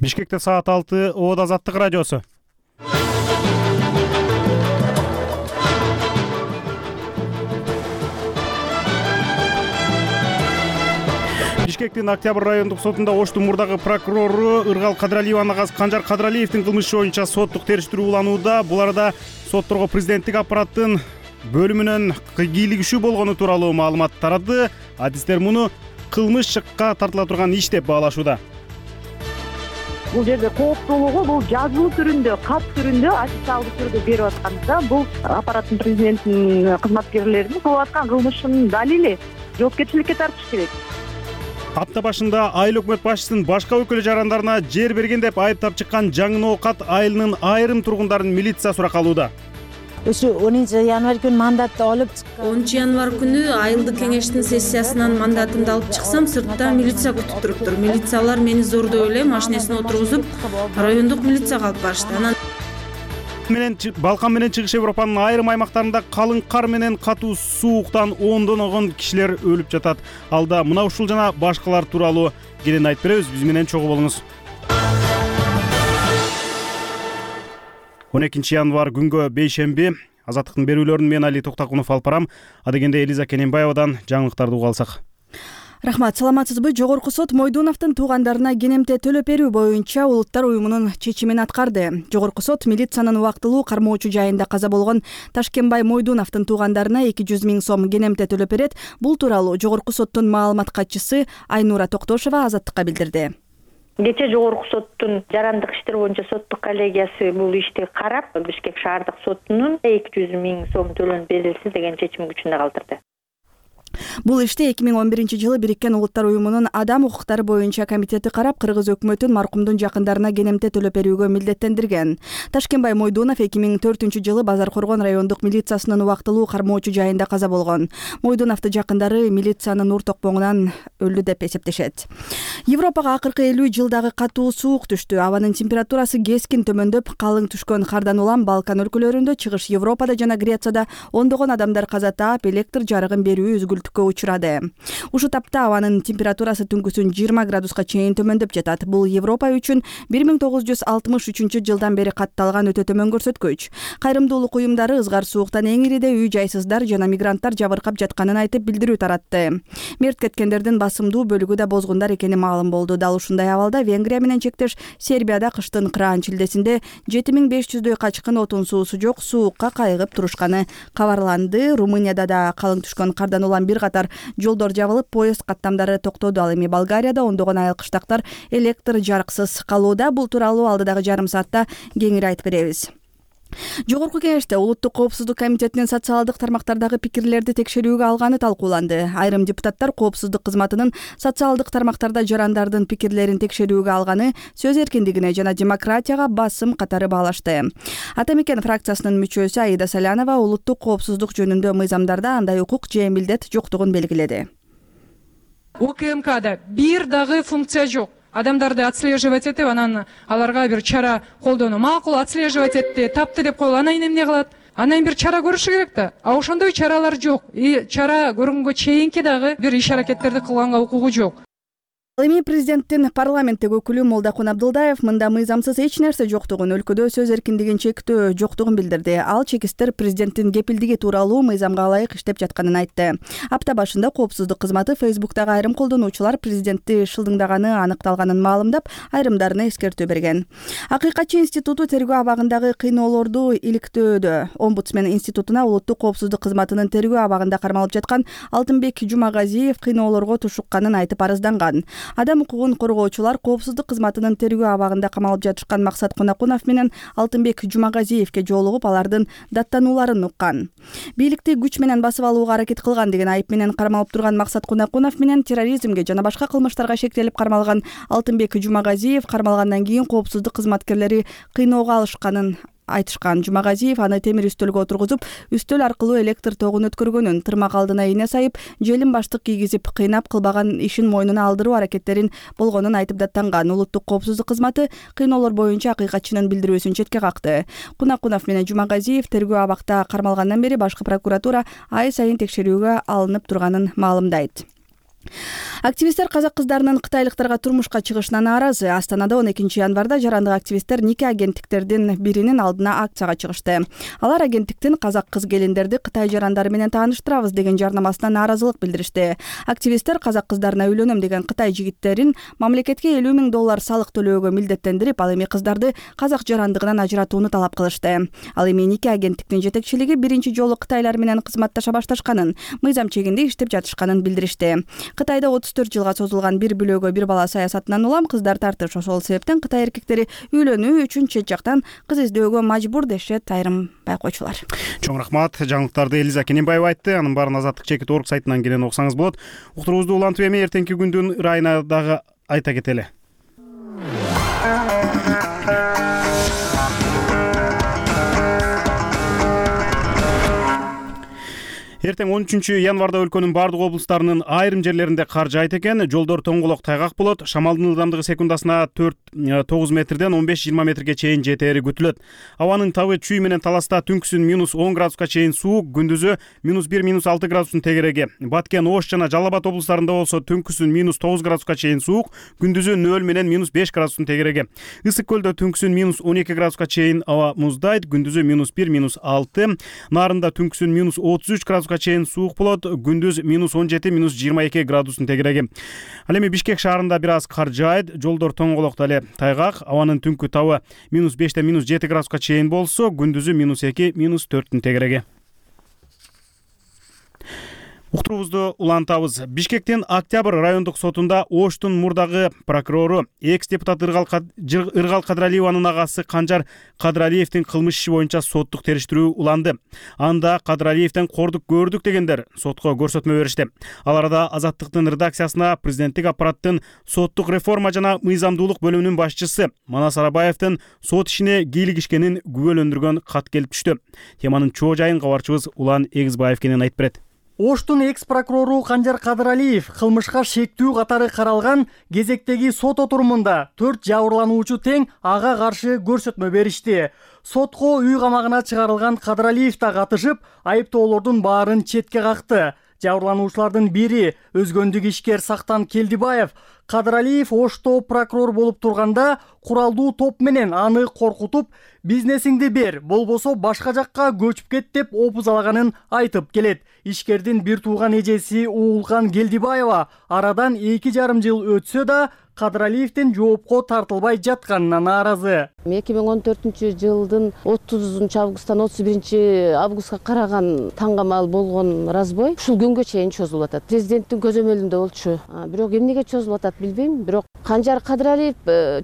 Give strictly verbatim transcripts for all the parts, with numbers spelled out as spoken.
Бишкекте саат алты, Обод Азаттык радиосу. Бишкектин Октябрь райондук сотунда Оштун мурдагы прокурору Ыргал Кадралиеванын агасы Канжар Кадралиевдин кылмышы боюнча соттук териштирүү уланууда. Бул арада сотторго президенттик аппараттын бөлүмүнөн кийлигишүү болгону тууралуу маалымат тарады. Адистер муну кылмышка тартыла турган иш деп баалашууда. Бул жерде кооптуулугу бул жазуу түрүндө, кат түрүндө, официалдуу түрдө берип атканда бул аппараттын президенттин кызматкерлеринин кылып аткан кылмышынын далили, жоопкерчиликке тартыш керек. Апта башында айыл өкмөт башчысынын башка өкүлү жарандарына жер берген деп айыптап чыккан Жаңы Ноокат айылынын айрым тургундарын милиция суракка алууда. Ошо онунчу январь күнү мандатты алып чыккан. онунчу январь күнү айылдык кеңештин сессиясынан мандатымды алып чыксам, сыртта милиция күтүп туруптур. Милициялар мени зордой эле машинесине отургузуп, райондук милицияга алып барышты. Анан менен Балкан менен Чыгыш Европанын айрым аймактарында калың кар менен катуу сууктан ондоногон кишилер өлүп жатат. Алда мына ушул жана башкалар тууралуу кенен айтып беребиз. Биз менен чогуу болуңуз. он экинчи январь күнгө бейшемби. Азаттыктын берүүлөрүн мен Али Токтакунов алып барам. Адегенде Элиза Кененбаевадан жаңылыктарды угуп алсак. Рахмат, саламатсызбы? Жогорку сот Мойдуновдун туугандарына кенемте төлөп берүү боюнча Улуттар уюмунун чечимин аткарды. Жогорку сот милициянын убактылуу кармоочу жайында каза болгон Ташкенбай Мойдуновдун туугандарына эки жүз миң сом кенемте төлөп берет. Бул тууралуу Жогорку соттун маалымат катчысы Айнура Токтошова Азаттыкка билдирди. Кечээ Жогорку соттун жарандык иштер боюнча соттук коллегиясы бул ишти карап, Бишкек шаардык сотунун эки жүз миң сом төлөнүп берилсин деген чечим күчүндө калтырды. Бул ишти эки миң он биринчи жылы Бириккен Улуттар уюмунун адам укуктары боюнча комитети карап, кыргыз өкмөтүн маркумдун жакындарына кенемте төлөп берүүгө милдеттендирген. Ташкенбай Мойдунов эки миң төртүнчү жылы Базар Коргон райондук милициясынын убактылуу кармоочу жайында каза болгон. Мойдуновду жакындары милициянын ур токпоңунан өлдү деп эсептешет. Европага акыркы элүү жылдагы катуу суук түштү. Абанын температурасы кескин төмөндөп, калың түшкөн кардан улам Балкан өлкөлөрүндө, Чыгыш Европада жана Грецияда ондогон адамдар каза таап, электр жарыгын берүү үзгүлтүккө учурады. Ушу тапта абанын температурасы түнкүсүн жыйырма градуска чейин төмөндөп жатат. Бул Европа үчүн бир миң тогуз жүз алтымыш үчүнчү жылдан бери катталган өтө төмөн көрсөткүч. Кайрымдуулук уюмдары ызгар сууктан эң ириде үй жайсыздар жана мигранттар жабыркап жатканын айтып билдирүү таратты. Мерт кеткендердин басымдуу бөлүгү да бозгундар экени маалым болду. Дал ушундай абалда Венгрия менен чектеш Сербияда кыштын кыраан чилдесинде жети миң беш жүздөй качкын отун суусу жок суукка кайгып турушканы кабарланды. Румынияда да калың түшкөн кардан улам бир катар жолдор жабылып, поезд каттамдары токтоду. Ал эми Болгарияда ондогон айыл кыштактар электр жарыксыз калууда. Бул тууралуу алдыдагы жарым саатта кеңири айтып беребиз. Жогорку кеңеште Улуттук коопсуздук комитетинин социалдык тармактардагы пикирлерди текшерүүгө алганы талкууланды. Айрым депутаттар коопсуздук кызматынын социалдык тармактарда жарандардын пикирлерин текшерүүгө алганы сөз эркиндигине жана демократияга басым катары баалашты. Ата Мекен фракциясынын мүчөсү Аида Салянова улуттук коопсуздук жөнүндө мыйзамдарда андай укук же милдет жоктугун белгиледи. УКМКда бир дагы функция жок. Адамдарды отслеживать этип, анан аларга бир чара колдонуу. Макул отслеживать этти, тапты деп коелу. Анан эмне кылат? Анан бир чара көрүшү керек да. А ошондой чаралар жок. И чара көргөнгө чейинки дагы бир иш аракеттерди кылганга укугу жок. Ал эми президенттин парламенттик өкүлү Молдокун Абдылдаев мында мыйзамсыз эч нерсе жоктугун, өлкөдө сөз эркиндигин чектөө жоктугун билдирди. Ал чекистер президенттин кепилдиги тууралуу мыйзамга ылайык иштеп жатканын айтты. Апта башында коопсуздук кызматы Фейсбуктагы айрым колдонуучулар президентти шылдыңдаганы аныкталганын маалымдап, айрымдарына эскертүү берген. Акыйкатчы институту тергөө абагындагы кыйноолорду иликтөөдө. Омбудсмен институтуна Улуттук коопсуздук кызматынын тергөө абагында кармалып жаткан Алтынбек Жумагазиев кыйноолорго тушукканын айтып арызганган. Адам укугун коргоочулар коопсуздук кызматынын тергөө абагында камалып жатышкан Максат Кунакунов менен Алтынбек Жумагазиевке жолугуп, алардын даттанууларын уккан. Бийликти күч менен басып алууга аракет кылган деген айып менен кармалып турган Максат Кунакунов менен терроризмге жана башка кылмыштарга шектелип кармалган Алтынбек Жумагазиев кармалгандан кийин коопсуздук кызматкерлери кыйноого алышканын айтышкан. Жумагазиев аны темир үстөлгө отургузуп, үстөл аркылуу электр тогун өткөргөнүн, тырмак алдына ийне сайып, желим баштык кийгизип, кыйнап кылбаган ишин мойнуна алдыруу аракеттерин болгонун айтып даттанган. Улуттук коопсуздук кызматы кыйноолор боюнча акыйкатчынын билдирүүсүн четке какты. Кунакунов менен Жумагазиев тергөө абакта кармалгандан бери башкы прокуратура ай сайын текшерүүгө алынып турганын маалымдайт. Активисттер казак кыздарынын кытайлыктарга турмушка чыгышына нааразы. Астанада он экинчи январда жарандык активисттер нике агенттиктердин биринин алдына акцияга чыгышты. Алар агенттиктин казак кыз келиндерди Кытай жарандары менен тааныштырабыз деген жарнамасына нааразылык билдиришти. Активисттер казак кыздарына үйлөнөм деген Кытай жигиттерин мамлекетке элүү миң доллар салык төлөөгө милдеттендирип, ал эми кыздарды казак жарандыгынан ажыратууну талап кылышты. Ал эми нике агенттиктин жетекчилиги биринчи жолу кытайлар менен кызматташа башташканын, мыйзам чегинде иштеп жатышканын билдиришти. Кытайда отуз төрт жылга созулган бир бүлөгө бир бала саясатынан улам кыздар тартыш. Ошол себептен Кытай эркектери үйлөнүү үчүн чет жактан кыз издөөгө мажбур дешет айрым байкоочулар. Чоң рахмат. Жаңылыктарды Элиза Кененбаева айтты. Анын баарын Азаттык чекит орг сайтынан келен окусаңыз болот. Уктуруубузду улантып эми эртеңки күндүн ырайына дагы айта кетели. Эртең он үчүнчү январда өлкөнүн бардык облустарынын айрым жерлеринде кар жаайт экен. Жолдор тоңголок тайгак болот. Шамалдын ылдамдыгы секундасына төрт тогуз метрден он беш жыйырма метрге чейин жетери күтүлөт. Абанын табы чүй менен Таласта түнкүсүн минус он градуска чейин суук, күндүзү минус бир минус алты градустун тегереги. Баткен, Ош жана Жалал Абад облустарында болсо түнкүсүн минус тогуз градуска чейин суук, күндүзү нөл менен минус беш градустун тегереги. Ысык көлдө түнкүсүн минус он эки градуска чейин аба муздайт, күндүзү минус бир минус алты. Нарында түнкүсүн минус отуз үч градуска чейин суук болот, күндүз минус он жети минус жыйырма эки градустун тегереги. Ал эми Бишкек шаарында бир аз кар жаайт, жолдор тоңголок эле тайгак, абанын түнкү табы минус бештен минус жети градуска чейин болсо, күндүзү минус эки минус төрттүн тегереги. Уктуруубузду улантабыз. Бишкектин Октябрь райондук сотунда Оштун мурдагы прокурору экс-депутат Ыргал Кадралиеванын агасы Канжар Кадралиевдин кылмыш иши боюнча соттук териштирүү уланды. Анда Кадралиевден кордук көрдүк дегендер сотко көрсөтмө беришти. Ал арада Азаттыктын редакциясына президенттик аппараттын соттук реформа жана мыйзамдуулук бөлүмүнүн башчысы Манас Арабаевдин сот ишине кийлигишкенин күбөлөндүргөн кат келип түштү. Теманын чоо жайын кабарчыбыз Улан Эгизбаев кенен айтып берет. Оштун экс-прокурору Канжар Кадралиев кылмышка шектүү катары каралган кезектеги сот отурумунда төрт жабырлануучу тең ага каршы көрсөтмө беришти. Сотко үй камагына чыгарылган Кадралиев да катышып, айыптоолордун баарын четке какты. Жабырлануучулардын бири өзгөндүк ишкер Сактан Келдибаев Кадралиев Ошто прокурор болуп турганда куралдуу топ менен аны коркутуп, бизнесиңди бер, болбосо башка жакка көчүп кет деп опузалаганын айтып келет. Ишкердин бир тууган эжеси Уулкан Келдибаева арадан эки жарым жыл өтсө да Кадралиевдин жоопко тартылбай жатканына нааразы. эки миң он төртүнчү жылдын отузунчу августтан отуз биринчи августка караган таңгамал болгон разбой ушул күнгө чейин чозулуп атат. Президенттин көзөмөлүндө болчу. Бирок эмнеге чозулуп атат билбейм. Бирок Канжар Кадралиев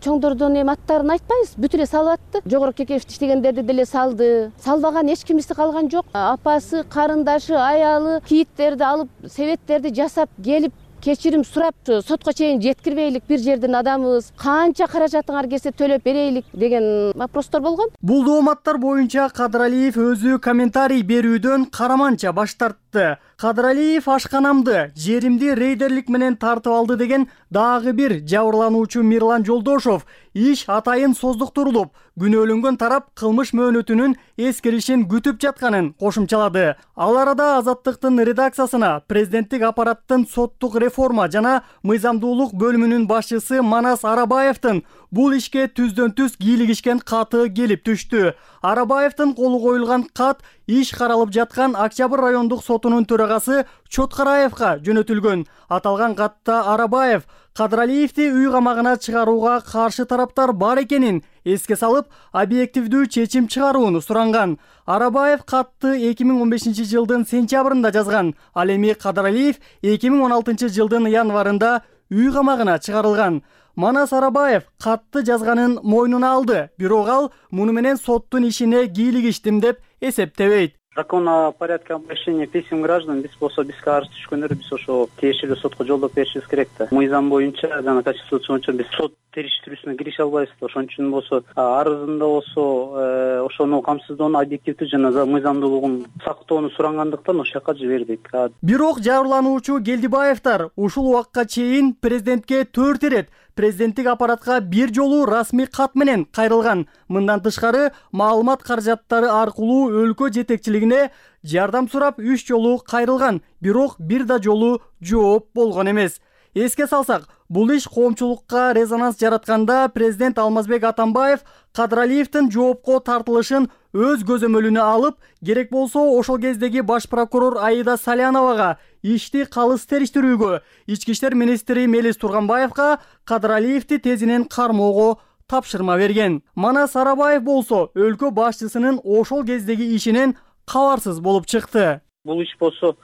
чоңдордун эми аттарын айтпайбыз, бүт эле салып атты. Жогорку Кекешевде иштегендерди деле салды. Салбаган эч кимиси калган жок. Апасы, карындашы, аялы кийиттерди алып, себеттерди жасап келип кечирим сурап сотко чейин жеткирбейлик, бир жердин адамыбыз, канча каражатыңар келсе төлөп берейлик деген вопростор болгон. Бул дооматтар боюнча Кадралиев өзү комментарий берүүдөн караманча баш тартты. Кадралиев ашканамды, жеримди рейдерлик менен тартып алды деген дагы бир жабырлануучу Мирлан Жолдошов иш атайын создуктурулуп, күнөөлөнгөн тарап кылмыш мөөнөтүнүн эскиришин күтүп жатканын кошумчалады. Ал арада Азаттыктын редакциясына президенттик аппараттын соттук реформа жана мыйзамдуулук бөлүмүнүн башчысы Манас Арабаевдин бул ишке түздөн түз кийлигишкен каты келип түштү. Арабаевдин колу коюлган кат иш каралып жаткан Октябрь райондук сотунун төрагасы Чоткараевга жөнөтүлгөн. Аталган катта Арабаев Кадралиевди үй камагына чыгарууга каршы тараптар бар экенин эске салып, объективдүү чечим чыгарууну суранган. Арабаев катты эки миң он бешинчи жылдын сентябрында жазган. Ал эми Кадралиев эки миң он алтынчы жылдын январында үй камагына чыгарылган. Манас Арабаев катты жазганын мойнуна алды, бирок ал муну менен соттун ишине кийлигиштим деп эсептебейт. Закон о порядке обращения писем граждан биз болсо бизге арыз түшкөндөр биз ошо тиешелүү сотко жолдоп беришибиз керек да. Мыйзам боюнча жана конституция боюнча биз сот териштирүүсүнө кирише албайбыз да. Ошон үчүн болсо арызында болсо ошону камсыздоону объективдүү жана мыйзамдуулугун сактоону сурангандыктан ошол жака жибердик. Бирок жабырлануучу Келдибаевдер ушул убакка чейин президентке төрт ирет президенттик аппаратка бир жолу расмий кат менен кайрылган. Мындан тышкары маалымат каражаттары аркылуу өлкө жетекчилигине жардам сурап үч жолу кайрылган, бирок бир да жолу жооп болгон эмес. Эске салсак, бул иш коомчулукка резонанс жаратканда президент Алмазбек Атамбаев Кадралиевдин жоопко тартылышын өз көзөмөлүнө алып, керек болсо ошол кездеги баш прокурор Аида Саляновага ишти калыс териштирүүгө, ички иштер министри Мелис Турганбаевга Кадралиевди тезинен кармоого тапшырма берген. Манас Арабаев болсо өлкө башчысынын ошол кездеги ишинен кабарсыз болуп чыкты. Бул иш болсо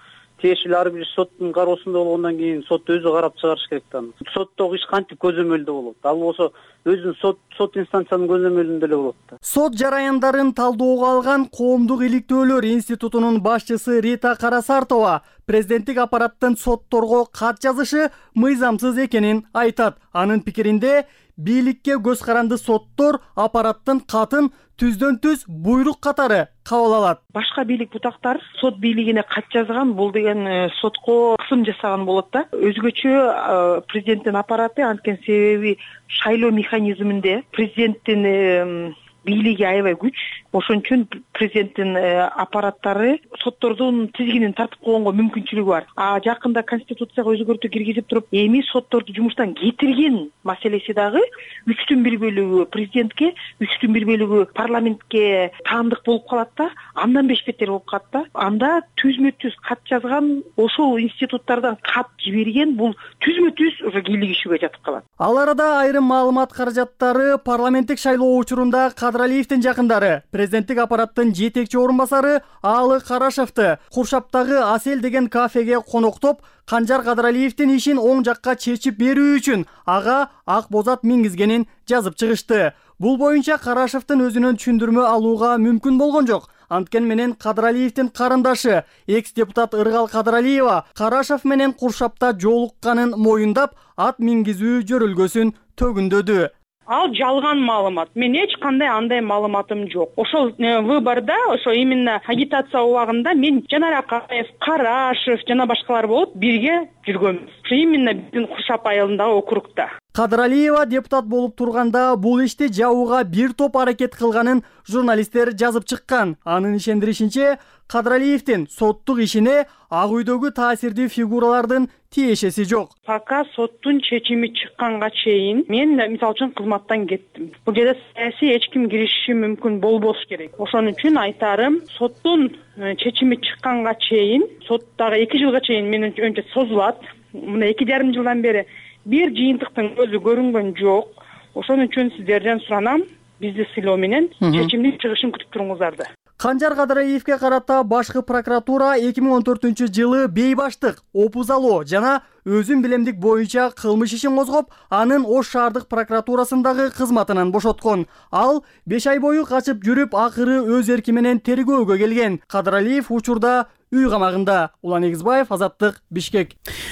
тиешелүү ар бир соттун кароосунда болгондон кийин сот өзү карап чыгарыш керек да. Соттогу иш кантип көзөмөлдө болот? Ал болсо өзүнүн сот сот инстанциянын көзөмөлүндө эле болот да. Сот жараяндарын талдоого алган Коомдук иликтөөлөр институтунун башчысы Рита Карасартова президенттик аппараттын сотторго кат жазышы мыйзамсыз экенин айтат. Анын пикиринде бийликке көз каранды соттор аппараттын катын түздөн түз буйрук катары кабыл алат. Башка бийлик бутактар сот бийлигине кат жазган, бул деген сотко кысым жасаган болот да. Өзгөчө президенттин аппараты анткени себеби шайлоо механизминде президенттин бийлиги аябай күч. Ошон үчүн президенттин аппараттары соттордун тизгинин тартып койгонго мүмкүнчүлүгү бар. А жакында конституцияга өзгөртүү киргизип туруп, эми сотторду жумуштан кетирген маселеси дагы үчтүн бир бөлүгү президентке, үчтүн бир бөлүгү парламентке таандык болуп калат да, андан беш бетер болуп калат да. Анда түзмө-түз кат жазган, ошол институттардан кат жиберген, бул түзмө-түз уже бийлик ишиге жатып калат. Ал арада айрым маалымат каражаттары парламенттик шайлоо учурунда Кадралиевдин жакындары президенттик аппараттын жетекчи орун басары Аалы Карашевди Куршаптагы Асел деген кафеге коноктоп, Канжар Кадралиевдин ишин оң жакка чечип берүү үчүн ага ак бозат мингизгенин жазып чыгышты. Бул боюнча Карашевдин өзүнөн түшүндүрмө алууга мүмкүн болгон жок. Анткен менен Кадралиевдин карындашы, экс-депутат Ыргал Кадралиева Карашев менен Куршапта жолукканын моюндап, ат мингизүү жөрөлгөсүн төгүндөдү. Ал жалган маалымат. Мен эч кандай андай маалыматым жок. Ошол выборда, ошо именно агитация убагында мен Жанар Акаев, Карашев жана башкалар болуп бирге жүргөнбүз. Ошо именно биздин Куршап айылындагы округда. Кадралиева депутат болуп турганда бул ишти жабууга бир топ аракет кылганын журналисттер жазып чыккан. Анын ишендиришинче, Кадралиевдин соттук ишине ак үйдөгү таасирдүү фигуралардын тиешеси жок. Пока соттун чечими чыкканга чейин мен мисалы үчүн кызматтан кеттим. Бул жерде саясий эч ким киришиши мүмкүн болбош керек. Ошон үчүн айтарым, соттун чечими чыкканга чейин, соттагы эки жылга чейин менимче созулат. Мына эки жарым жылдан бери бир жыйынтыктын көзү көрүнгөн жок. Ошон үчүн сиздерден суранам, бизди сыйлоо менен чечимдин чыгышын күтүп туруңуздарды. Канжар Кадралиевге карата башкы прокуратура эки миң он төртүнчү жылы бейбаштык, опузалоо жана өзүн билемдик боюнча кылмыш ишин козгоп, анын Ош шаардык прокуратурасындагы кызматынан бошоткон. Ал беш ай бою качып жүрүп, акыры өз эрки менен тергөөгө келген. Кадралиев учурда үй камагында. Улан Эгизбаев, Азаттык, Бишкек.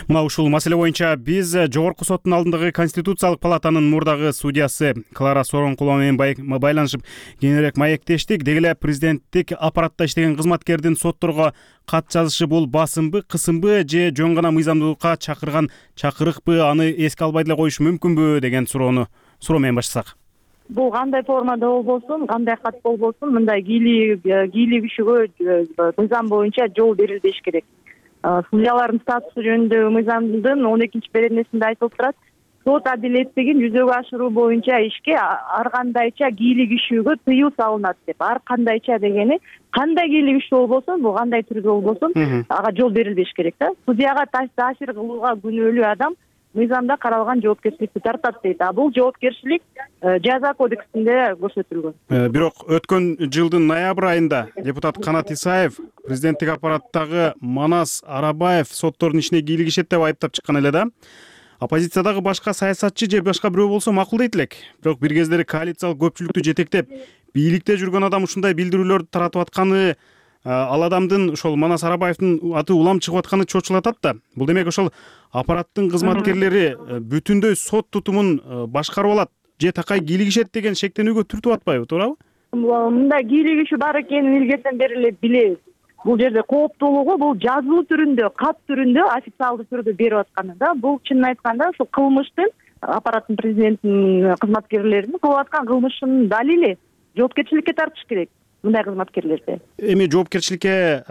Мына ушул маселе боюнча биз жогорку соттун алдындагы Конституциялык палатанын мурдагы судьясы Клара Сооронкулова менен байланышып кеңирээк маектештик. Деги эле президенттик аппаратта иштеген кызматкердин сотторго кат жазышы бул басымбы, кысымбы же жөн гана мыйзамдуулукка чакырган чакырыкпы, аны эске албай деле коюш мүмкүнбү деген суроону суроо менен баштасак. Бул кандай формада болбосун, кандай кат болбосун, мындай кийлик кийлик ишиге мыйзам боюнча жол берилбеш керек. Судьялардын статусу жөнүндө мыйзамдын он экинчи беренесинде айтылып турат. Сот адилеттигин жүзөгө ашыруу боюнча ишке ар кандайча кийлик ишүүгө тыюу салынат деп. Ар кандайча дегени кандай кийлик ишүү болбосун, бул кандай түрдө болбосун, ага жол берилбеш керек да. Судьяга таасир кылууга күнөөлүү адам мыйзамда каралган жоопкерчиликти тартат дейт. А бул жоопкерчилик жаза кодексинде көрсөтүлгөн. Бирок өткөн жылдын ноябрь айында депутат Канат Исаев президенттик аппараттагы Манас Арабаев соттордун ишине кийлик ишет деп айыптап чыккан эле да. Оппозициядагы башка саясатчы же башка бирөө болсо макул дейт элек. Бирок бир кездери коалициялык көпчүлүктү жетектеп, бийликте жүргөн адам ушундай билдирүүлөрдү таратып атканы, ал адамдын ошол Манас Арабаевдин аты улам чыгып атканы чочулатат да. Бул демек ошол аппараттын кызматкерлери бүтүндөй сот тутумун башкарып алат же такай кийлик ишет деген шектенүүгө түртүп атпайбы, туурабы? Мындай кийлик иши бар экенин илгертен бери эле билебиз. Бул жерде кооптуулугу бул жазуу түрүндө, кат түрүндө, официалдуу түрдө берип атканы да. Бул чынын айтканда ушул кылмыштын аппараттын президенттин кызматкерлерин кылып аткан кылмышын далили жоопкерчиликке тартыш керек мындай кызматкерлерди. Эми жоопкерчиликке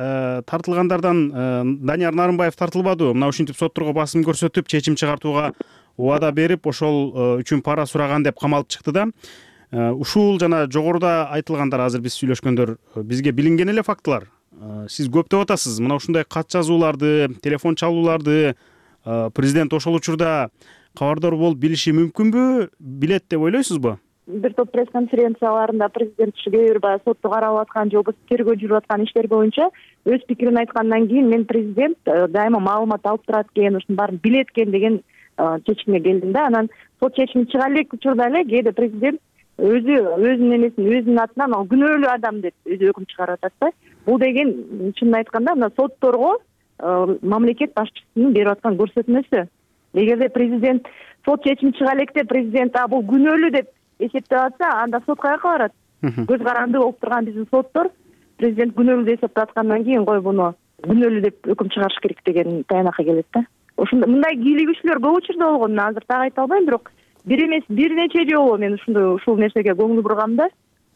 тартылгандардан Данияр Нарымбаев тартылбадыбы? Мына ушинтип сотторго басым көрсөтүп, чечим чыгартууга убада берип, ошол үчүн пара сураган деп камалып чыкты да. Ушул жана жогоруда айтылгандар, азыр биз сүйлөшкөндөр бизге билинген эле фактылар. Сиз көп деп атасыз. Мына ушундай кат жазууларды, телефон чалууларды президент ошол учурда кабардар болуп билиши мүмкүнбү, билет деп ойлойсузбу? Бир топ пресс-конференцияларында президент кээ бир баягы сотто каралып аткан же болбосо тергөө жүрүп аткан иштер боюнча өз пикирин айткандан кийин мен президент дайыма маалымат алып турат экен, ушунун баарын билет экен деген чечимге келдим да. Анан сот чечими чыга элек учурда эле кээде президент өзү өзүнүн эмесин өзүнүн атынан ал күнөөлүү адам деп өзү өкүм чыгарып атат да. Бул деген чынын айтканда мына сотторго мамлекет башчысынын берип аткан көрсөтмөсү. Эгерде президент сот чечими чыга электе президент а бул күнөөлүү деп эсептеп атса, анда сот каяка барат? Көз каранды болуп турган биздин соттор президент күнөөлүү деп эсептеп аткандан кийин кой буну күнөөлүү деп өкүм чыгарыш керек деген таянакка келет да. Ошондой мындай кийлигүүчүлөр көп учурда болгон. Азыр так айта албайм, бирок бир эмес бир нече жолу мен ушундай ушул нерсеге көңүл бургам да.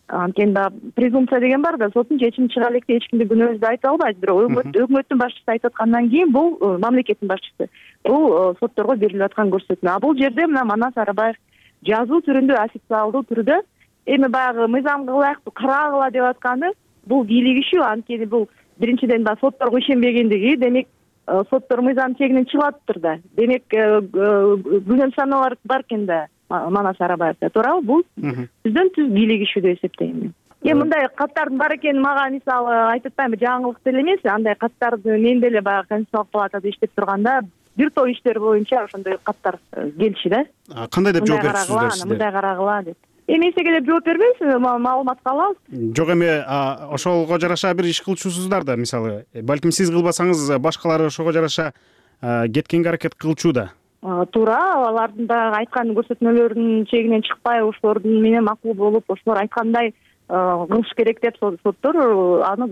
Анткени да презумпция деген бар да, соттун чечими чыга электе эч кимди күнөөсүз деп айта албайт. Бирок өкмөттүн башчысы айтып аткандан кийин бул мамлекеттин башчысы. Бул сотторго берилип аткан көрсөтмө. А бул жерде мына Манас Арабаев жазуу түрүндө, официалдуу түрдө эми баягы мыйзам кылайык, карагыла деп атканы бул кийлигишүү. Анткени бул биринчиден да сотторго ишенбегендиги, демек соттор мыйзам чегинен чыгып атыптыр да. Демек күнөө саналар бар экен да Манас Арабаевде, туурабы? Бул түздөн түз кийлигишүү деп эсептейм мен. Эми мындай каттардын бар экени мага мисалы айтып атпаймынбы, жаңылык деле эмес. Андай каттарды мен деле баягы Конституциялык палатада иштеп турганда бир топ иштер боюнча ошондой каттар келчү да. Кандай деп жооп берипсиздер сиздер? Мындай карагыла деп. Эми эсеге деп жооп бербейбиз, маалыматка алабыз. Жок, эми ошого жараша бир иш кылчусуздар да, мисалы. Балким сиз кылбасаңыз башкалар ошого жараша кеткенге аракет кылчу да. Туура, алардын да айткан көрсөтмөлөрүнүн чегинен чыкпай, ошолордун менен макул болуп, ошолор айткандай кылыш керек деп соттор аны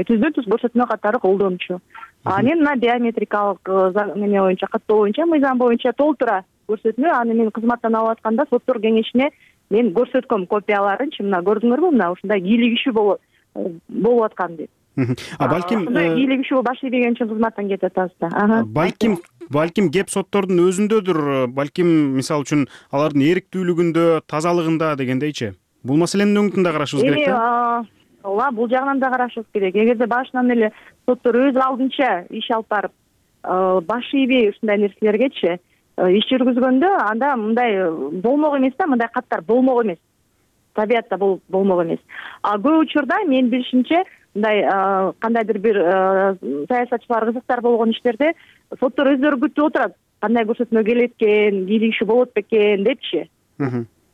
түздөн түз көрсөтмө катары колдончу. Анын мына биометрикалык неме боюнча, каттоо боюнча, мыйзам боюнча толтура көрсөтмө. Аны мен кызматтан алып атканда соттор кеңешине мен көрсөткөм копияларынчы. Мына көрдүңөрбү, мына ушундай кийлигишүү болуп аткан деп. А балким ушундай кийлигишүү баш ийбеген үчүн кызматтан кетип атабыз да. Балким балким кеп соттордун өзүндөдүр. Балким мисалы үчүн алардын эриктүүлүгүндө, тазалыгында дегендейчи. Бул маселенин өңүтүн да карашыбыз керек да. Ооба, бул жагынан да карашыбыз керек. Эгерде башынан эле соттор өз алдынча иш алып барып, баш ийбей ушундай нерселергечи иш жүргүзгөндө, анда мындай болмок эмес да, мындай каттар болмок эмес. Табиятта бул болмок эмес. А көп учурда мен билишимче мындай кандайдыр бир саясатчылар кызыктар болгон иштерде соттор өздөрү күтүп отурат. Кандай көрсөтмө келет экен, кийлигишүү болот бекен депчи.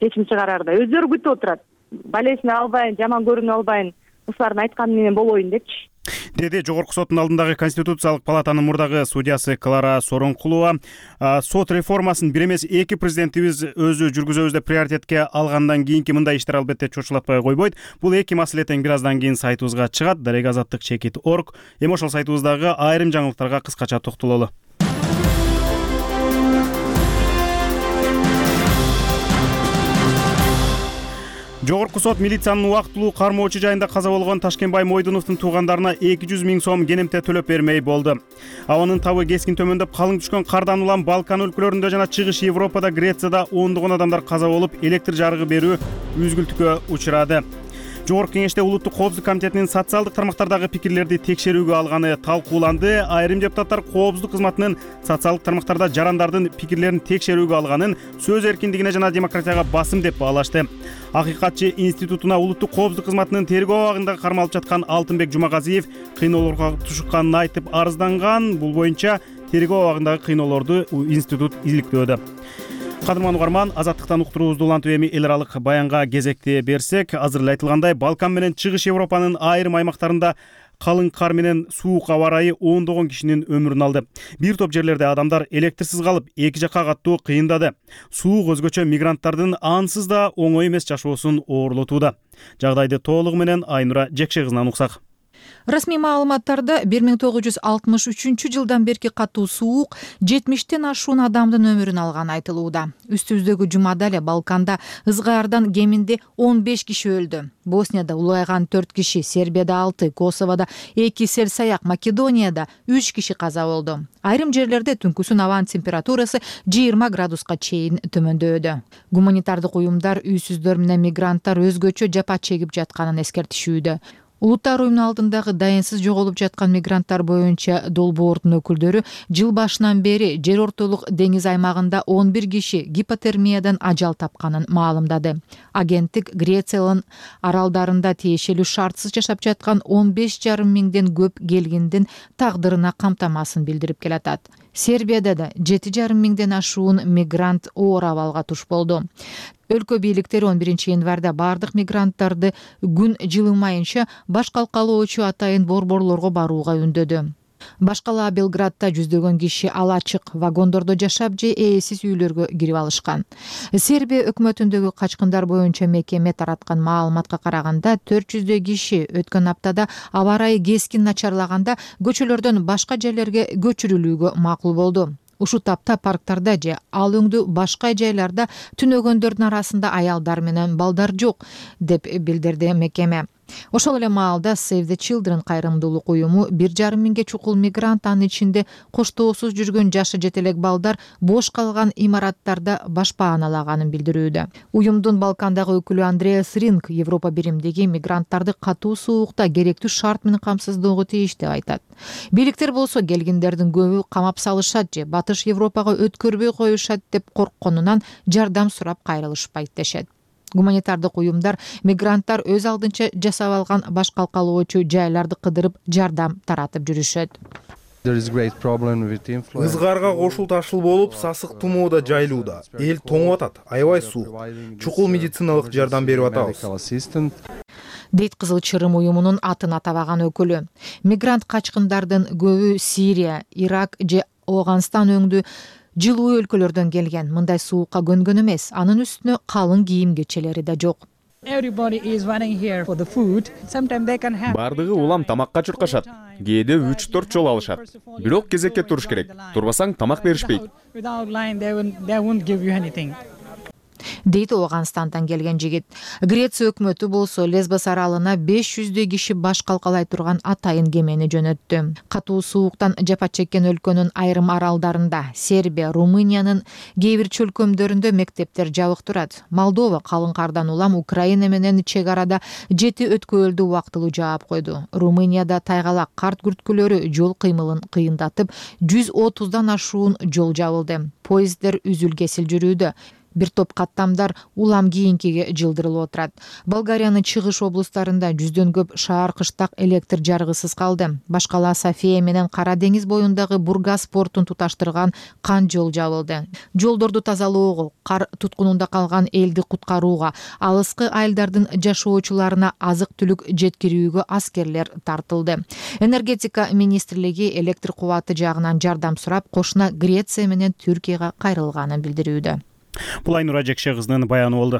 Чечим чыгарарда өздөрү күтүп отурат. Балесине албайын, жаман көрүнүп албайын, ушулардын айтканы менен болоюн депчи. Деди Жогорку соттун алдындагы Конституциялык палатанын мурдагы судьясы Клара Соронкулова. Сот реформасын бир эмес эки президентибиз өзү жүргүзөбүз деп приоритетке алгандан кийинки мындай иштер албетте чочулатпай койбойт. Бул эки маселе тең бир аздан кийин сайтыбызга чыгат. Дарек азаттык чекит точка орг. Эми ошол сайтыбыздагы айрым жаңылыктарга кыскача токтололу. Жогорку сот милициянын убактылуу кармоочу жайында каза болгон Ташкенбай Мойдуновдун туугандарына эки жүз миң сом кенемте төлөп бермей болду. Абанын табы кескин төмөндөп, калың түшкөн кардан улам Балкан өлкөлөрүндө жана чыгыш Европада, Грецияда ондогон адамдар каза болуп, электр жарыгы берүү үзгүлтүккө учурады. Жогорку кеңеште Улуттук коопсуздук комитетинин социалдык тармактардагы пикирлерди текшерүүгө алганы талкууланды. Айрым депутаттар коопсуздук кызматынын социалдык тармактарда жарандардын пикирлерин текшерүүгө алганын сөз эркиндигине жана демократияга басым деп баалашты. Акыйкатчы институтуна Улуттук коопсуздук кызматынын тергөө абагында кармалып жаткан Алтынбек Жумагазиев кыйноолорго тушукканын айтып арызданган. Бул боюнча тергөө абагындагы кыйноолорду институт иликтөөдө. Кадырман угарман, азаттыктан уктуруубузду улантып эми эл аралык баянга кезекти берсек, азыр эле айтылгандай, Балкан менен чыгыш Европанын айрым аймактарында калың кар менен суук аба ырайы ондогон кишинин өмүрүн алды. Бир топ жерлерде адамдар электрсиз калып, эки жакка каттуу кыйындады. Суук өзгөчө мигранттардын ансыз да оңой эмес жашоосун оорлотууда. Жагдайды толугу менен Айнура Жекше кызынан уксак. Расмий маалыматтарда бир миң тогуз жүз алтымыш үчүнчү жылдан берки катуу суук жетимиштен ашуун адамдын өмүрүн алганы айтылууда. Үстүбүздөгү жумада эле Балканда ызгаардан кеминде он беш киши өлдү. Боснияда улайган төрт киши, Сербияда алты, Косовода эки, Селсаяк, Македонияда үч киши каза болду. Айрым жерлерде түнкүсүн абанын температурасы жыйырма градуска чейин төмөндөдү. Гуманитардык уюмдар үйсүздөр менен мигранттар өзгөчө жапа чегип жатканын эскертишүүдө. Улуттар уюмунун алдындагы дайынсыз жоголуп жаткан мигранттар боюнча долбоордун өкүлдөрү жыл башынан бери жер ортолук деңиз аймагында он бир киши гипотермиядан ажал тапканын маалымдады. Агенттик Грециянын аралдарында тиешелүү шартсыз жашап жаткан он беш жарым миңден көп келгиндин тагдырына камтамасын билдирип келатат. Сербияда да жети жарым миңден ашуун мигрант оор абалга туш болду. Өлкө бийликтери он биринчи январда бардык мигранттарды күн жылымайынча баш калкалоочу атайын борборлорго барууга үндөдү. Башкала Белградда жүздөгөн киши ала ачык вагондордо жашап же ээсиз үйлөргө кирип алышкан. Сербия өкмөтүндөгү качкындар боюнча мекеме тараткан маалыматка караганда төрт жүздөй киши өткөн аптада аба ырайы кескин начарлаганда көчөлөрдөн башка жерлерге көчүрүлүүгө макул болду. Ушул тапта парктарда же ал өңдүү башка жайларда түнөгөндөрдүн арасында аялдар менен балдар жок, деп билдирди мекеме. Ошол эле маалда Save the Children кайрымдуулук уюму бир жарым миңге чукул мигрант, анын ичинде коштоосуз жүргөн жашы жете элек балдар бош калган имараттарда баш пааналаганын билдирүүдө. Уюмдун Балкандагы өкүлү Андреас Ринг Европа биримдиги мигранттарды катуу суукта керектүү шарт менен камсыздоого тийиш деп айтат. Бийликтер болсо келгиндердин көбү камап салышат же Батыш Европага өткөрбөй коюшат деп коркконунан жардам сурап кайрылышпайт дешет. Гуманитардык уюмдар мигранттар өз алдынча жасап алган баш калкалоочу жайларды кыдырып жардам таратып жүрүшөт. Ызгаарга кошул ташыл болуп, сасык тумоо да жайылууда. Эл тоңуп атат, аябай суук. Чукул медициналык жардам берип атабыз, дейт Кызыл Чырым уюмунун атын атабаган өкүлү. Мигрант качкындардын көбү Сирия, Ирак же Афганистан өңдүү жылуу өлкөлөрдөн келген. Мындай суукка көнгөн эмес, анын үстүнө калың кийим кечелери да жок. Бардыгы улам тамакка чуркашат. Кээде үч төрт жол алышат. Бирок кезекке туруш керек. Турбасаң тамак беришпейт. Дейт Афганистандан келген жигит. Греция өкмөтү болсо Лесбос аралына беш жүздөй киши баш калкалай турган атайын кемени жөнөттү. Катуу сууктан жапа чеккен өлкөнүн айрым аралдарында, Сербия, Румыниянын кээ бир чөлкөмдөрүндө мектептер жабык турат. Молдова калың кардан улам Украина менен чек арада жети өткөлдү убактылуу жаап койду. Румынияда тайгалак карт күрткүлөрү жол кыймылын кыйындатып, жүз отуздан ашуун жол жабылды. Поезддер үзүл-кесил жүрүүдө. Бир топ каттамдар улам кийинкиге жылдырылып отурат. Болгариянын чыгыш облустарында жүздөн көп шаар кыштак электр жарыгысыз калды. Башкала София менен Кара деңиз боюндагы Бургас портун туташтырган кан жол жабылды. Жолдорду тазалоого, кар туткунунда калган элди куткарууга, алыскы айылдардын жашоочуларына азык-түлүк жеткирүүгө аскерлер тартылды. Энергетика министрлиги электр кубаты жагынан жардам сурап, кошуна Греция менен Түркияга кайрылганын билдирүүдө. Бул Айнура Жекше кызынын баяны болду.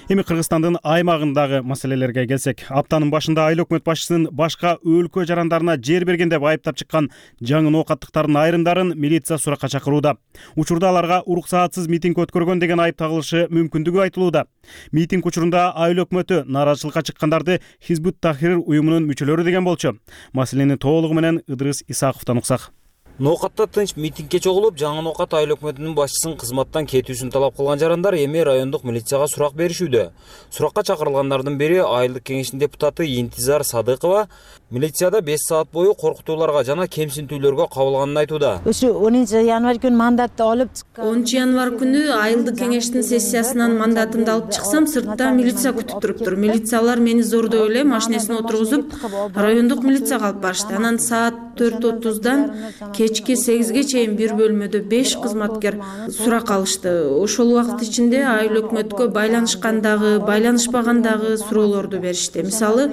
Эми Кыргызстандын аймагындагы маселелерге келсек, аптанын башында айыл өкмөт башчысынын башка өлкө жарандарына жер берген деп айыптап чыккан жаңы ноокаттыктардын айрымдарын милиция суракка чакырууда. Учурда аларга уруксаатсыз митинг өткөргөн деген айып тагылышы мүмкүндүгү айтылууда. Митинг учурунда айыл өкмөтү нааразычылыкка чыккандарды Хизбут Тахрир уюмунун мүчөлөрү деген болчу. Маселени толугу менен Ыдырыс Исаковдон уксак. Ноокатта тынч митингге чогулуп, жаңы Ноокат айыл өкмөтүнүн башчысын кызматтан кетүүсүн талап кылган жарандар эми райондук милицияга сурак беришүүдө. Суракка чакырылгандардын бири айылдык кеңештин депутаты Интизар Садыкова милицияда беш саат бою коркутууларга жана кемсинтүүлөргө кабылганын айтууда. Ошо онунчу январь күнү мандатты алып чыккан. онунчу январь күнү айылдык кеңештин сессиясынан мандатымды алып чыксам, сыртта милиция күтүп туруптур. Милициялар мени зордой эле машинесине отургузуп, райондук милицияга алып барышты. Анан саат төрт отуздан кечки сегизге чейин бир бөлмөдө беш кызматкер сурак алышты. Ошол убакыт ичинде айыл өкмөткө байланышкандагы, байланышпагандагы суроолорду беришти. Мисалы,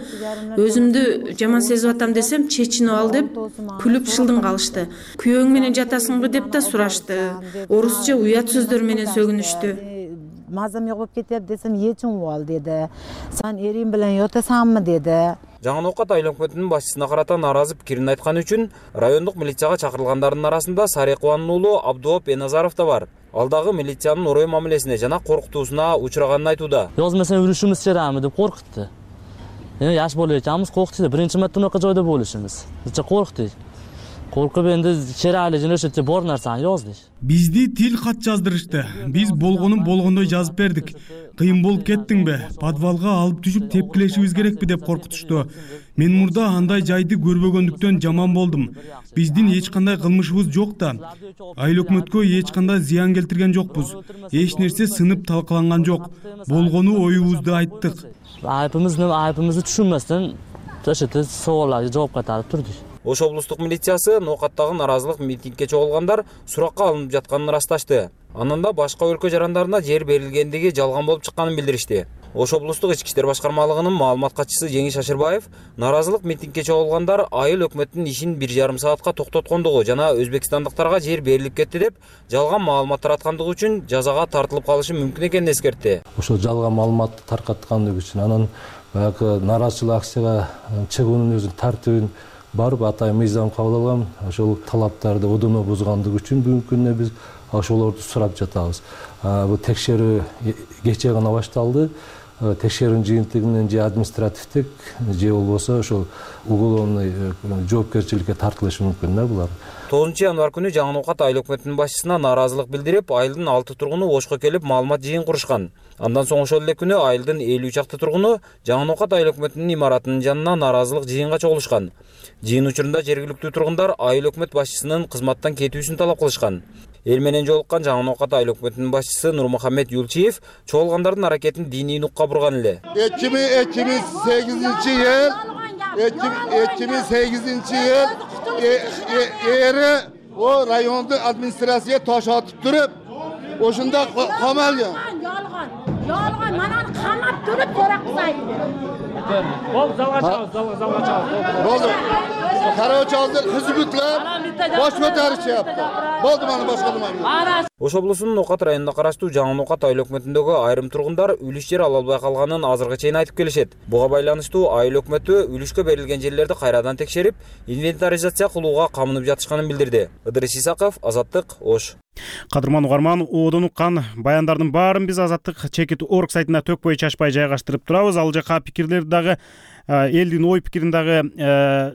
өзүмдү жаман сезип атам десем, чечинип ал деп күлүп шылдың калышты. Күйөөң менен жатасыңбы деп да сурашты. Орусча уят сөздөр менен сөгүнүштү. мазам жок болуп кетет десем эч угуп ал деди. Сен эрим менен жатасаңбы деди. Жаңы Оокат айыл өкмөтүнүн башчысына карата нааразы пикирин айткан үчүн райондук милицияга чакырылгандардын арасында Сарыкубанын уулу Абдубап Беназаров да бар. Ал дагы милициянын орой мамилесине жана коркутуусуна учураганын айтууда. Yoz mesela yürüyüşümüz çerami dep korkuttu. Yani yaş bolu ekanmiz korkuttu. Birinci marta unaqa joyda boluşumuz. Necha korktuk. Korkup endi çerali jene o'sha bor narsani yozdik. Бизди тил кат жаздырышты. Биз болгонун болгондой жазып бердик. Кыйын болуп кеттиңби? Подвалга алып түшүп тепкилешибиз керекпи деп коркутушту. Мен мурда андай жайды көрбөгөндүктөн жаман болдум. Биздин эч кандай кылмышыбыз жок да. Айыл өкмөткө эч кандай зыян келтирген жокпуз. Эч нерсе сынып талкаланган жок. Болгону оюбузду айттык. Айыбымызды айыбымызды түшүнмөстөн ошо суроолорго жооп кайтарып турдук. Ош облустук милициясы Ноокаттагы наразылык митингге чогулгандар суракка алынып жатканын ырасташты. Анан да башка өлкө жарандарына жер берилгендиги жалган болуп чыкканын билдиришти. Ош облустук ички иштер башкармалыгынын маалымат катчысы Жеңиш Ашырбаев наразылык митингге чогулгандар айыл өкмөттүн ишин бир жарым саатка токтоткондугу жана өзбекстандыктарга жер берилип кетти деп жалган маалымат тараткандыгы үчүн жазага тартылып калышы мүмкүн экенин эскертти. Ошол жалган маалыматты таркаткандыгы үчүн анан баягы нааразычылык акцияга чыгуунун өзүнүн тартибин барып атайын мыйзам кабыл алган. Ошол талаптарды одоно бузгандыгы үчүн бүгүнкү күндө биз ошолорду сурап жатабыз. Бул текшерүү кечээ гана башталды. Текшерүүнүн жыйынтыгы менен же административдик же болбосо ошол уголовный жоопкерчиликке тартылышы мүмкүн да булар. тогузунчу январь күнү Жаңы Оокат айыл өкмөтүнүн башчысына нааразылык билдирип, айылдын алты тургуну Ошко келип маалымат жыйын курушкан. Андан соң ошол эле күнү айылдын элүү чакты тургуну Жаңы Оокат айыл өкмөтүнүн имаратынын жанына нааразылык жыйынга чогулушкан. Жыйын учурунда жергиликтүү тургундар айыл өкмөт башчысынын кызматтан кетүүсүн талап кылышкан. Эл менен жолуккан Жаңы Оокат айыл өкмөтүнүн башчысы Нурмухаммед Юлчиев чогулгандардын аракетин диний нукка бурган эле. эки миң сегизинчи yıl эки миң сегизинчи yıl эри o rayonda administrasiya tosh otib turib, o'shunda qamalgan. Yolg'on, yolg'on, mana qamab turib so'roq qilsaydi. Bo'ldi, zalga chiqamiz, zalga zalga chiqamiz. Bo'ldi. Qarovchi hozir hizbutlar bosh ko'tarishyapti. Bo'ldi, mana boshqa nima. Ош облусунун Оокат районуна караштуу Жаңы Оокат айыл өкмөтүндөгү айрым тургундар үлүш жер ала албай калганын азыркы чейин айтып келишет. Буга байланыштуу айыл өкмөтү үлүшкө берилген жерлерди кайрадан текшерип, инвентаризация кылууга камынып жатышканын билдирди. Ыдырыс Исаков, Азаттык, Ош. Кадырман угарман, оодон уккан баяндардын баарын биз Азаттык чекит точка орг сайтына төкпөй чачпай жайгаштырып турабыз. Ал жака пикирлерди дагы элдин ой пикирин дагы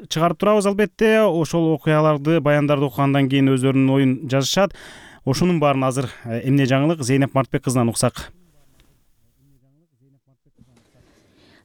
чыгарып турабыз албетте. Ошол окуяларды, баяндарды окугандан кийин өздөрүнүн оюн жазышат. Ошонун баарын азыр эмне жаңылык Зейнеп Мартбек кызынан уксак.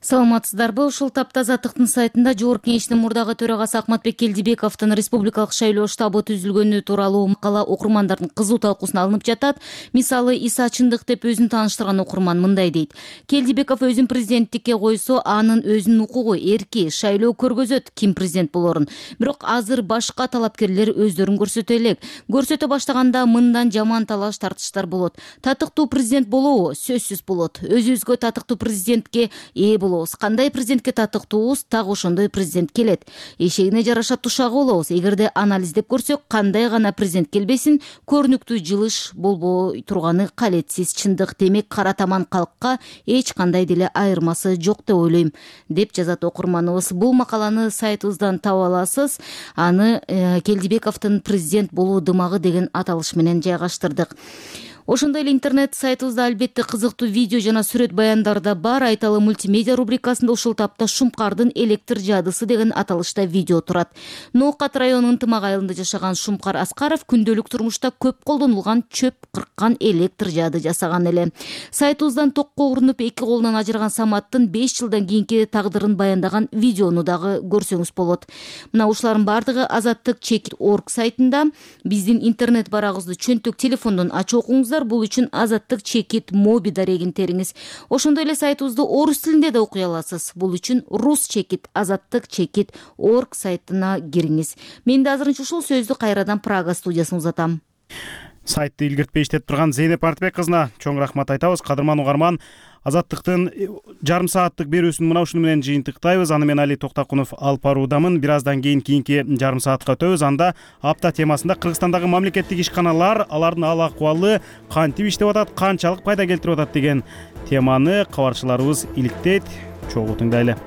Саламатсыздарбы? Ушул тапта Азаттыктын сайтында Жогорку Кеңештин мурдагы төрагасы Акматбек Келдибековдун республикалык шайлоо штабы түзүлгөнү тууралуу макала окурмандардын кызуу талкуусуна алынып жатат. Мисалы, Иса чындык деп өзүн тааныштырган окурман мындай дейт: Келдибеков өзүн президенттикке койсо, анын өзүнүн укугу, эрки, шайлоо көргөзөт ким президент болорун. Бирок азыр башка талапкерлер өздөрүн көрсөтө элек. Көрсөтө баштаганда мындан жаман талаш тартыштар болот. Татыктуу президент болобу? Сөзсүз болот. Өзүбүзгө татыктуу президентке ээ болобуз. Кандай президентке татыктуубуз, так ошондой президент келет. Эшегине жараша тушагы болобуз. Эгерде анализдеп көрсөк, кандай гана президент келбесин, көрүнүктүү жылыш болбой турганы калетсиз чындык. Демек, кара таман калкка эч кандай деле айырмасы жок деп ойлойм, деп жазат окурманыбыз. Бул макаланы сайтыбыздан таба аласыз. Аны э, Келдибековдун президент болуу дымагы деген аталыш менен жайгаштырдык. Ошондой эле интернет сайтыбызда албетте кызыктуу видео жана сүрөт баяндар да бар. Айталы мультимедиа рубрикасында ушул тапта Шумкардын электр жадысы деген аталышта видео турат. Ноокат районунун Тымак айылында жашаган Шумкар Аскаров күндөлүк турмушта көп колдонулган чөп кырккан электр жады жасаган эле. Сайтыбыздан токко урунуп эки колунан ажыраган Саматтын беш жылдан кийинки тагдырын баяндаган видеону дагы көрсөңүз болот. Мына ушулардын бардыгы Азаттык чекит точка орг сайтында. Биздин интернет барагыбызды чөнтөк телефондон ачып окуңуз. Бул үчүн Азаттык чекит моби дарегин териңиз. Ошондой эле сайтыбызды орус тилинде да окуй аласыз. Бул үчүн рус чекит Азаттык чекит точка орг сайтына кириңиз. Мен да азырынча ушул сөздү кайрадан Прага студиясына узатам. Сайтты илгертпей иштеп турган Зейнеп Артбек кызына чоң рахмат айтабыз. Кадырман угарман, Азаттыктын жарым сааттык берүүсүн мына ушуну менен жыйынтыктайбыз. Аны мен Али Токтакунов алып баруудамын. Бир аздан кийин кийинки жарым саатка өтөбүз. Анда апта темасында Кыргызстандагы мамлекеттик ишканалар, алардын ал акыбалы кантип иштеп атат, канчалык пайда келтирип атат деген теманы кабарчыларыбыз иликтейт. Чогуу тыңдайлы.